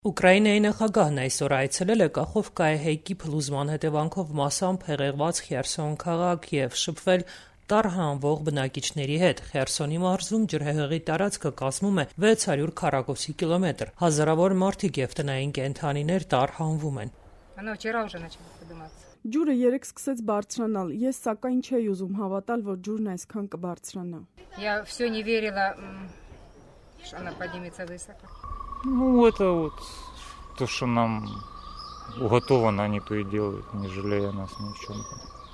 Ուկրաինայի նախագահն այսօր այցելել է Կախովկայի փլուզման հետևանքով մասամբ հեղեղված Խերսոն քաղաք եւ շփվել տար հանվող բնակիչների հետ։ Խերսոնի մարզում ջրհեղեղի տարածքը կազմում է 600 քառակուսի կիլոմետր։ Հազարավոր մարդիկ եւ տնային կենդանիներ տար հանվում են։ Ջուրը երեկ սկսեց բարձրանալ, ես սակայն չէի ուզում հավատալ, որ ջուրն այսքան կբարձրանա։ То, что нам уготовано, они то и делают, не жалея нас ни в чем.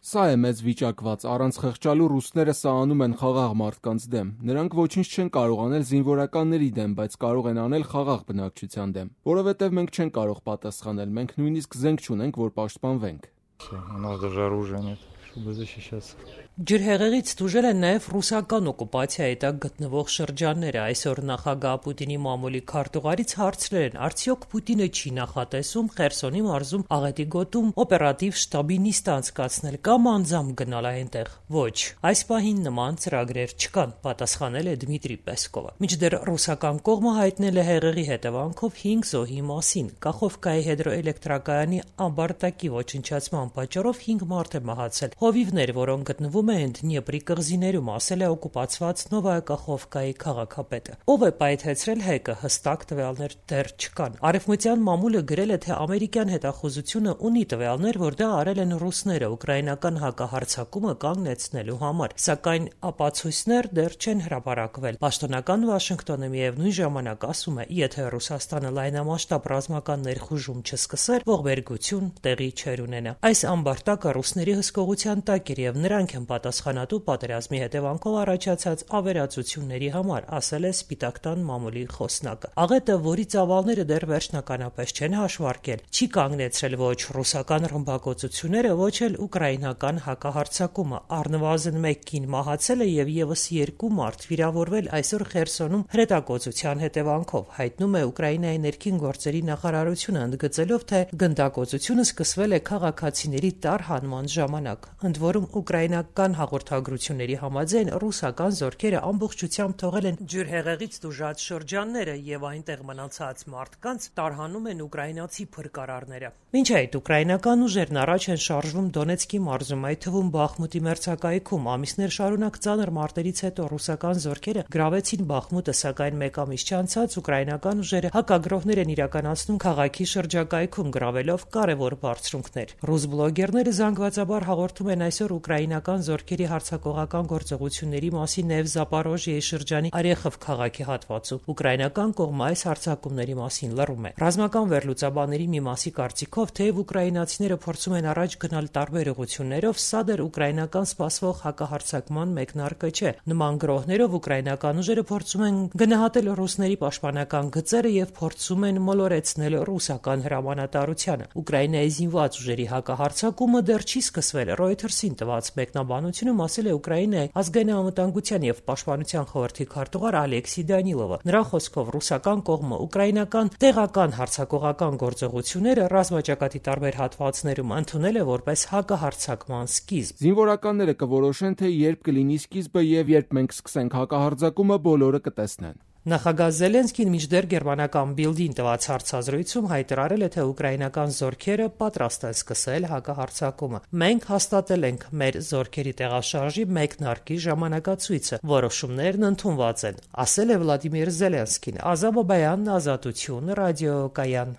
Սա է մեծ վիճակված, առանց խղճալու ռուսները սա անում են խաղաղ մարդկանց դեմ։ Նրանք ոչինչ չեն կարող անել զինվորականների դեմ, բայց կարող են անել խաղաղ բնակչության դեմ, որովհետև մենք չենք կարող պատասխանել, մենք նույնիսկ զենք չունենք, որ պաշտպանվենք։ У нас даже оружия нет, чтобы защищаться. Ջրհեղեղից տուժել են նաև ռուսական օկուպացիայի տակ գտնվող շրջանները։ Այսօր նախագահ Պուտինի մամուլի քարտուղարից հարցրել են, արդյոք Պուտինը չի նախատեսում Խերսոնի մարզում աղետի գոտում օպերատիվ շտաբի նիստ անցկացնել կամ անձամբ գնալ այնտեղ։ Ոչ, այս պահին նման ծրագրեր չկան, պատասխանել է Դմիտրի Պեսկովը։ Մինչդեռ ռուսական կողմը հայտնել է հեղեղի հետևանքով 5 զոհի մասին։ Կախովկայի հիդրոէլեկտրակայանի ամբարտակի ոչնչացման պատճառով 5 մարդ է մահացել։ Հովիվներ, որոնք գտնվում են Դնիեպրի կղզիներում, ասել է օկուպացված Նովայա Կախովկայի քաղաքապետը։ Ով է պայթեցրել հեկը, հստակ տվյալներ դեռ չկան։ Արևմտյան մամուլը գրել է, թե ամերիկյան հետախուզությունը ունի տվյալներ, որ դա արել են ռուսները ուկրաինական հակահարձակումը կանգնեցնելու համար, սակայն ապացույցներ դեռ չեն հրապարակվել։ Պաշտոնական Վաշինգտոնը միևնույն ժամանակ ասում է, եթե Ռուսաստանը լայնամասշտաբ ռազմական ներխուժում չսկսեր, ողբերգություն տեղի չէր ունենա։ Այս ամբարտակը ռուսների հսկողության տակ էր եւ նրանք են պատասխանատու պատերազմի հետևանքով առաջացած ավերածությունների համար, ասել է Սպիտակ տան մամուլի խոսնակը։ Աղետը, որի ծավալները դեռ վերջնականապես չեն հաշվարկել, չի կանգնեցրել ոչ ռուսական ռմբակոծությունները, ոչ էլ ուկրաինական հակահարձակումը։ Առնվազն 1 կին մահացել է եւ եւս 2 մարդ վիրավորվել այսօր Խերսոնում հրետակոծության հետևանքով, հայտնում է Ուկրաինայի ներքին գործերի նախարարությունը, ընդգծելով, թե գնդակոծությունը սկսվել է քաղաքացիների տար հանման ժամանակ։ Ընդ որում ուկրաինական հաղորդագրությունների համաձայն ռուսական զորքերը ամբողջությամբ թողել են ջրհեղեղից տուժած շրջանները եւ այնտեղ մնացած մարդկանց տարհանում են ուկրաինացի փրկարարները։ Մինչ այդ ուկրաինական ուժերն առաջ են շարժվում Դոնեցկի մարզում, այդ թվում Բախմուտի մերձակայքում։ Ամիսներ շարունակ ծանր մարտերից հետո ռուսական զորքերը գրավեցին Բախմուտը, սակայն մեկ ամիս չանցած ուկրաինական ուժերը հակագրոհներ են իրականացնում քաղաքի շրջակայքում, գրավելով կարևոր բարձունքներ։ Ռուս բլոգերները զանգվածաբար հաղորդում են այսօր ուկրաինական զորքերի հարձակողական գործողությունների մասին նաև Զապորոժիեի շրջանի Արեխով քաղաքի հատվածում։ Ուկրաինական կողմը այս հարձակումների մասին լռում է։ Ռազմական վերլուծաբանների մի մասի կարծիքով, թեև ուկրաինացիները փորձում են առաջ գնալ տարբեր ուղղություններով, սա դեռ ուկրաինական սպասվող հակահարձակման մեկնարկը չէ։ Նման գրոհներով ուկրաինական ուժերը փորձում են գնահատել ռուսների պաշտպանական գծերը եւ փորձում են մոլորեցնել ռուսական հրամանատարությանը։ Ուկրաինայի զինված ուժերի հակահարձակումը դեռ չի սկսվել։ Reuters-ին տված մեկնաբանությունում ասել է Ուկրաինայի ազգային անվտանգության եւ պաշտպանության խորհրդի քարտուղար Ալեքսի Դանիլովը։ Նրա խոսքով ռուսական կողմը ուկրաինական տեղական հարձակողական գործողությունները ռազմաճակատի տարբեր հատվածներում ընդունել է որպես հակահարձակման սկիզբ։ Զինվորականները կորոշեն, թե երբ կլինի սկիզբը եւ երբ մենք սկսենք հակահարձակումը, բոլորը կտեսնեն։ Նախագահ Զելենսկին մինչդեռ գերմանական Բիլդին տված հարցազրույցում հայտարարել է, թե ուկրաինական զորքերը պատրաստ են սկսել հակահարձակումը։ Մենք հաստատել ենք մեր զորքերի տեղաշարժի մեկնարկի ժամանակացույցը, որոշումներն ընդունված են, ասել է Վլադիմիր Զելենսկին։ Ազատ Բաբայան, Ազատություն, ռադիոկայան։